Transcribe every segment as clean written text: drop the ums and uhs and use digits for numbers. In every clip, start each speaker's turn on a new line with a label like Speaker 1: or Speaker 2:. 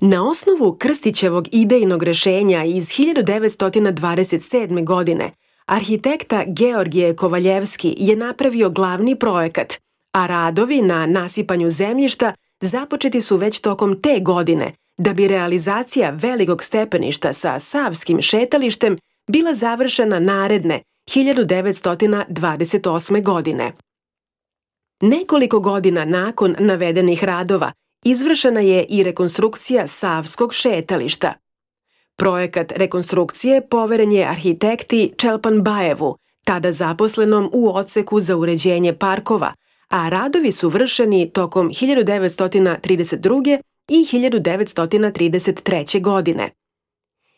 Speaker 1: Na osnovu Krstićevog idejnog rešenja iz 1927. godine, arhitekta Georgije Kovaljevski je napravio glavni projekat, a radovi na nasipanju zemljišta započeti su već tokom te godine, da bi realizacija velikog stepeništa sa Savskim šetalištem bila završena naredne 1928. godine. Nekoliko godina nakon navedenih radova izvršena je i rekonstrukcija Savskog šetališta. Projekat rekonstrukcije poveren je arhitekti Čelpanbajevu, tada zaposlenom u odseku za uređenje parkova, a radovi su vršeni tokom 1932. i 1933. godine.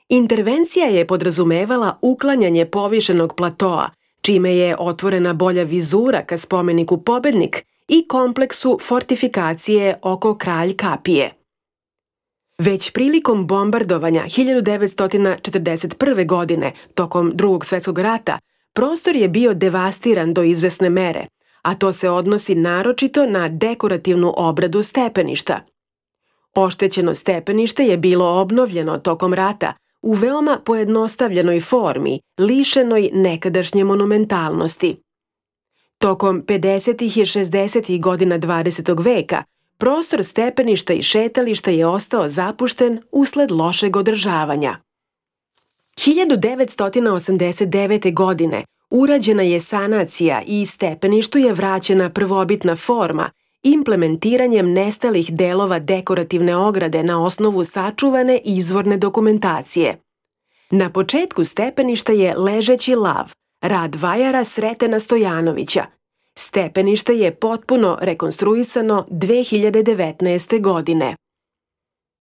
Speaker 1: Intervencija je podrazumevala uklanjanje povišenog platoa, čime je otvorena bolja vizura ka spomeniku Pobednik i kompleksu fortifikacije oko Kralj kapije. Već prilikom bombardovanja 1941. godine, tokom Drugog svetskog rata, prostor je bio devastiran do izvesne mere, a to se odnosi naročito na dekorativnu obradu stepeništa. Oštećeno stepenište je bilo obnovljeno tokom rata u veoma pojednostavljenoj formi, lišenoj nekadašnje monumentalnosti. Tokom 50. i 60. godina 20. veka prostor stepeništa i šetališta je ostao zapušten usled lošeg održavanja. 1989. godine urađena je sanacija i stepeništu je vraćena prvobitna forma implementiranjem nestalih delova dekorativne ograde na osnovu sačuvane izvorne dokumentacije. Na početku stepeništa je ležeći lav, rad vajara Sretena Stojanovića. Stepenište je potpuno rekonstruisano 2019. godine.